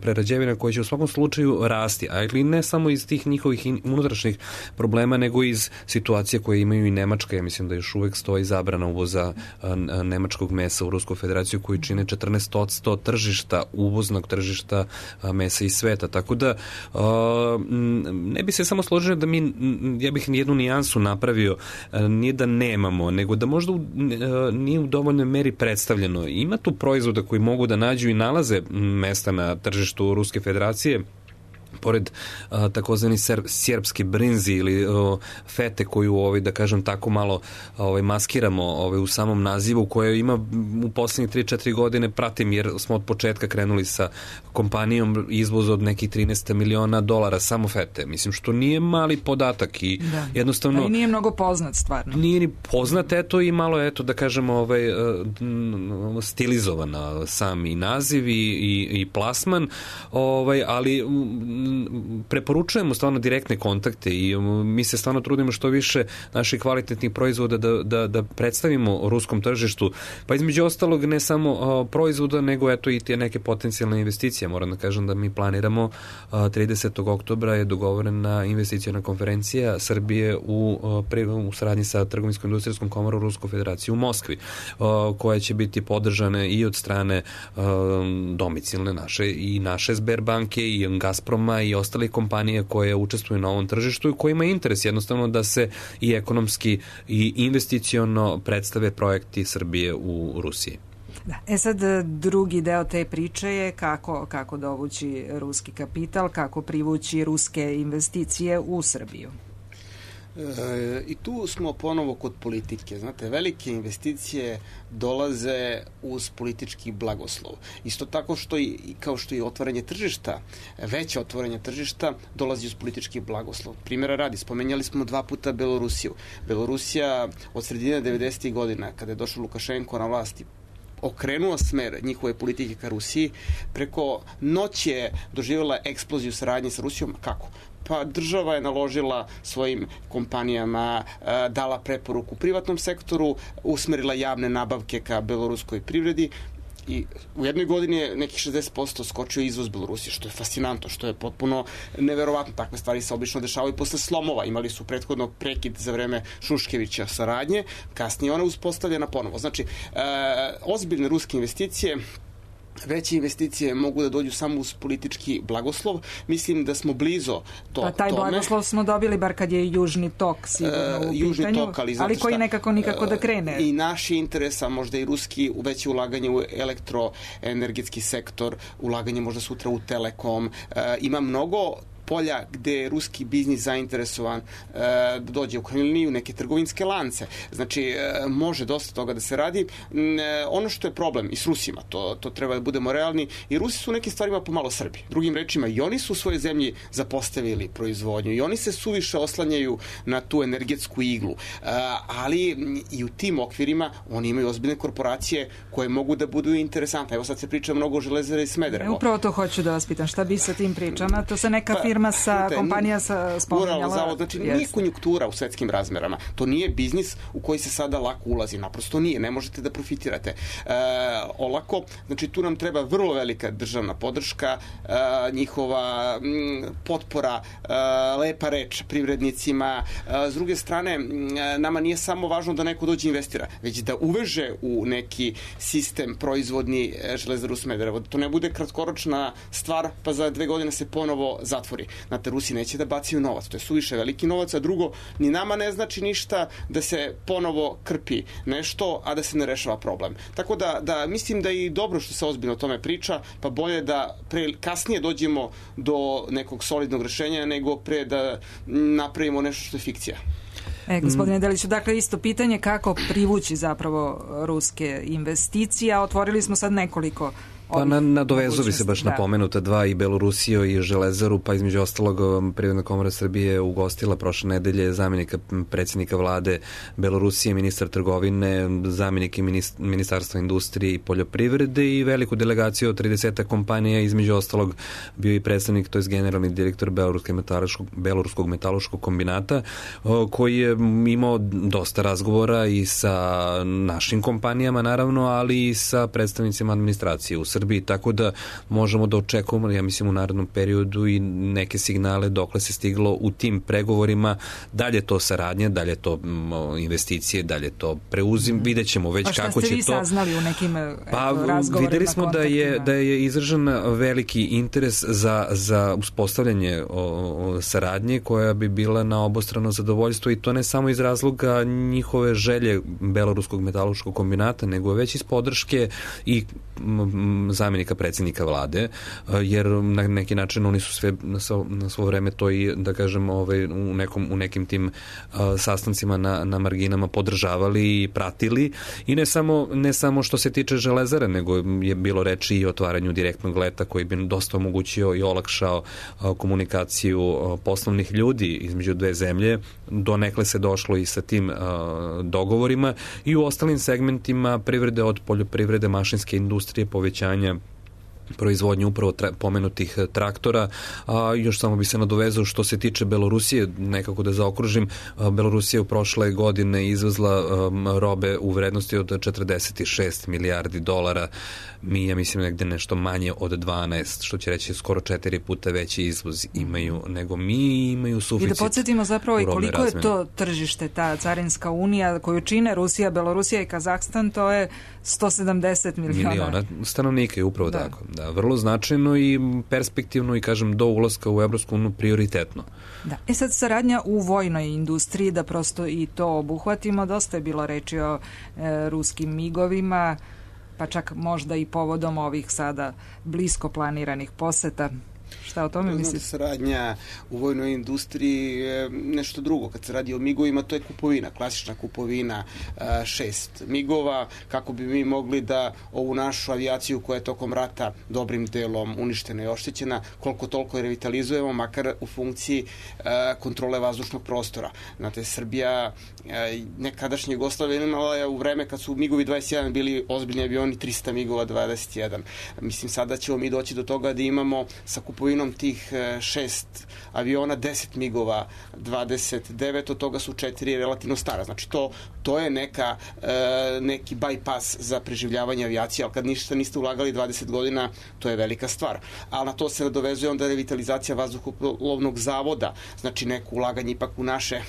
prerađevina koji će u svakom slučaju rasti, ali ne samo iz tih njihovih unutrašnjih problema, nego iz situacije koje imaju i Nemačka. Ja mislim da još uvek stoji zabrana uvoza nemačkog mesa u Rusku federaciju koji čine 14% tržišta, uvoznog tržišta mesa iz sveta. Tako da ne bi se samo složio da ja bih jednu nijansu napravio, nije da nemamo, nego da možda nije u dovoljnoj meri predstavljeno. Ima tu proizvoda koji mogu da nađu i nalaze mesta na tržištu Ruske federacije, pored takozvani srpski brinzi ili fete koju, da kažem, tako malo maskiramo u samom nazivu, koje ima u poslednjih 3-4 godine, pratim jer smo od početka krenuli sa kompanijom izvoza od nekih $13 miliona samo fete. Mislim, što nije mali podatak i jednostavno... Ali nije mnogo poznat, stvarno. Nije ni poznat, i malo, da kažemo, stilizovan sam i naziv i plasman, ali preporučujemo stvarno direktne kontakte i mi se stvarno trudimo što više naših kvalitetnih proizvoda da predstavimo ruskom tržištu, pa između ostalog ne samo proizvoda, nego i te neke potencijalne investicije. Moram da kažem da mi planiramo 30. oktobra je dogovorena investicijona konferencija Srbije u saradnji sa Trgovinsko-industrijskom komorom Ruske federacije u Moskvi, koja će biti podržane i od strane domicilne naše Sberbanke i Gazproma i ostalih kompanija koje učestvuju na ovom tržištu i kojima je interes jednostavno da se i ekonomski i investiciono predstave projekti Srbije u Rusiji. Sad drugi deo te priče je kako dovući ruski kapital, kako privući ruske investicije u Srbiju. I tu smo ponovo kod politike. Znate, velike investicije dolaze uz politički blagoslov. Isto tako kao što i otvaranje tržišta, veće otvaranje tržišta dolazi uz politički blagoslov. Primjera radi, spomenjali smo 2 puta Belorusiju. Belorusija od sredine 90. godina, kada je došao Lukašenko na vlasti, okrenuo smer njihove politike ka Rusiji, preko noći je doživjela eksploziju saradnje sa Rusijom. Kako? Pa država je naložila svojim kompanijama, dala preporuku privatnom sektoru, usmerila javne nabavke ka beloruskoj privredi i u jednoj godini je nekih 60% skočio izvoz Belorusije, što je fascinantno, što je potpuno neverovatno. Takve stvari se obično dešavaju posle slomova. Imali su prethodno prekid za vreme Šuškevića saradnje, kasnije ona uspostavljena ponovo. Znači, ozbiljne ruske investicije, veće investicije mogu da dođu samo uz politički blagoslov. Mislim da smo blizo tome. Pa taj blagoslov smo dobili, bar kad je Južni tok sigurno u Južni pitanju, tok, ali koji nekako nikako da krene. I naši interesa, možda i ruski, veće ulaganje u elektroenergetski sektor, ulaganje možda sutra u Telekom. Ima mnogo polja gde je ruski biznis zainteresovan da dođe u krajnjoj liniji u neke trgovinske lance. Znači, može dosta toga da se radi. Ono što je problem i s Rusima, to treba da budemo realni, i Rusi su u nekim stvarima pomalo Srbi. Drugim rečima, i oni su u svojoj zemlji zapostavili proizvodnju i oni se suviše oslanjaju na tu energetsku iglu. Ali i u tim okvirima oni imaju ozbiljne korporacije koje mogu da budu interesantne. Evo sad se priča mnogo o Železari i Smederevo. Upravo to hoću da vas pitam. Šta bi sa tim pričama? To se neka firma kompanija spominjala. Zavod, znači nije konjunktura u svetskim razmerama. To nije biznis u koji se sada lako ulazi. Naprosto nije. Ne možete da profitirate olako. Znači tu nam treba vrlo velika državna podrška, njihova potpora, lepa reč privrednicima. S druge strane, nama nije samo važno da neko dođe investira, već da uveže u neki sistem proizvodni Železaru Smederevo. To ne bude kratkoročna stvar, pa za 2 godine se ponovo zatvori. Znate, Rusi neće da bacaju novac, to je suviše veliki novac, a drugo, ni nama ne znači ništa da se ponovo krpi nešto, a da se ne rešava problem. Tako da mislim da je i dobro što se ozbiljno o tome priča, pa bolje da kasnije dođemo do nekog solidnog rešenja, nego pre da napravimo nešto što je fikcija. Gospodine Deliću, dakle isto pitanje kako privući zapravo ruske investicije, a otvorili smo sad nekoliko. Pa nadovezu bi se baš na pomenuta 2, i Belorusiju i Železaru, pa između ostalog Privredna komora Srbije ugostila prošle nedelje zamjenika predsjednika vlade Belorusije, ministar trgovine, zamjenik ministarstva industrije i poljoprivrede i veliku delegaciju od 30 kompanija, između ostalog bio i predstavnik, to je generalni direktor Beloruskog metaloškog kombinata, koji je imao dosta razgovora i sa našim kompanijama naravno, ali i sa predstavnicima administracije u Srbiji, tako da možemo da očekujemo, ja mislim, u narednom periodu i neke signale dokle se stiglo u tim pregovorima, dalje to saradnja, dalje to investicije, dalje to preuzim, vidjet ćemo već kako će to... Pa šta ste vi saznali u nekim razgovorima? Videli smo da je izražen veliki interes za uspostavljanje saradnje koja bi bila na obostrano zadovoljstvo, i to ne samo iz razloga njihove želje Beloruskog metaloškog kombinata, nego već iz podrške i zamjenika predsjednika vlade, jer na neki način oni su sve na svo vreme to i, da kažem, u nekim tim sastancima na marginama podržavali i pratili, i ne samo što se tiče Železare, nego je bilo reči i o otvaranju direktnog leta koji bi dosta omogućio i olakšao komunikaciju poslovnih ljudi između 2 zemlje. Donekle se došlo i sa tim dogovorima, i u ostalim segmentima privrede, od poljoprivrede, mašinske industrije, povećanja proizvodnje upravo pomenutih traktora. Još samo bi se nadovezao što se tiče Belorusije, nekako da zaokružim, Belorusija u prošle godine izvezla robe u vrednosti od 46 milijardi dolara. Mi, ja mislim, negde nešto manje od 12, što će reći skoro 4 puta veći izvoz imaju nego mi, imaju suficit. I da podsjetimo zapravo i koliko je to tržište, ta carinska unija koju čine Rusija, Belorusija i Kazahstan, to je 170 miliona stanovnika, je upravo tako. Da, vrlo značajno i perspektivno, i kažem, do ulaska u Evropsku uniju prioritetno. Da. Sad saradnja u vojnoj industriji, da prosto i to obuhvatimo, dosta je bilo reči o ruskim migovima, pa čak možda i povodom ovih sada blisko planiranih poseta. Šta o tome mislite? Saradnja u vojnoj industriji je nešto drugo. Kad se radi o migovima, to je kupovina, klasična kupovina 6 migova, kako bi mi mogli da ovu našu avijaciju koja je tokom rata dobrim delom uništena i oštećena, koliko toliko revitalizujemo, makar u funkciji kontrole vazdušnog prostora. Znate, Srbija, nekadašnja Jugoslavija imala je u vreme kad su migovi 21 bili ozbiljni avioni 300 migova 21. Mislim, sada ćemo mi doći do toga da imamo sa kupovinom tih 6 aviona 10 migova 29, od toga su 4 relativno stara. Znači, to je neki bypass za preživljavanje avijacije, ali kad ništa niste ulagali 20 godina, to je velika stvar. Ali na to se nadovezuje onda revitalizacija vazduhoplovnog zavoda, znači neko ulaganje ipak u naše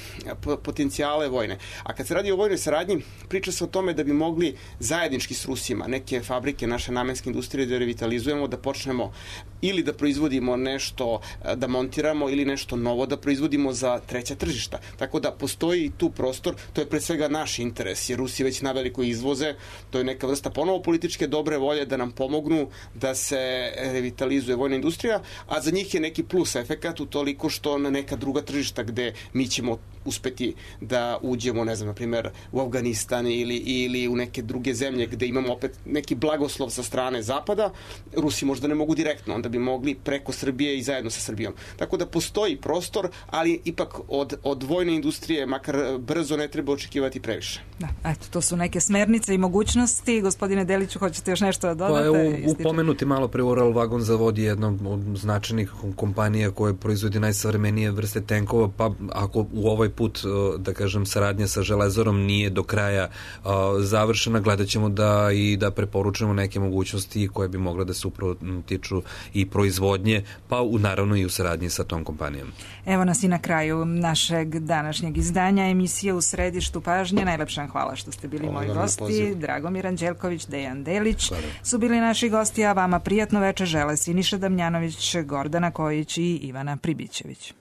potencijale vojne. A kad se radi o vojnoj saradnji, priča se o tome da bi mogli zajednički s Rusima neke fabrike naše namenske industrije da revitalizujemo, da počnemo ili da proizvodimo nešto, da montiramo, ili nešto novo da proizvodimo za treća tržišta. Tako da postoji tu prostor, to je pre svega naš interes, jer Rusi već naveliko izvoze, to je neka vrsta ponovo političke dobre volje da nam pomognu da se revitalizuje vojna industrija, a za njih je neki plus efekat u toliko što na neka druga tržišta gde mi ćemo uspeti da uđemo, ne znam, na primjer u Afganistan ili u neke druge zemlje gde imamo opet neki blagoslov sa strane Zapada, Rusi možda ne mogu direktno, onda bi mogli preko Srbije i zajedno sa Srbijom. Tako da postoji prostor, ali ipak od vojne industrije, makar brzo, ne treba očekivati previše. Da, eto, to su neke smernice i mogućnosti. Gospodine Deliću, hoćete još nešto da dodate? Pa upomenuti malo pre Ural Vagon Zavod je jedna od značajnih kompanija koja proizvodi najsavremenije vrste tenkova, pa ako u ovaj put, da kažem, saradnja sa Železarom nije do kraja završena, gledat ćemo da preporučujemo neke mogućnosti koje bi mogle da se upravo tiču i proizvodnje, pa naravno i u saradnji sa tom kompanijom. Evo nas i na kraju našeg današnjeg izdanja emisije U središtu pažnje. Najlepša hvala što ste bili moji gosti. Dragomir Anđelković, Dejan Delić su bili naši gosti, a vama prijatno veče žele Siniša Damjanović, Gordana Kojić i Ivana Pribićević.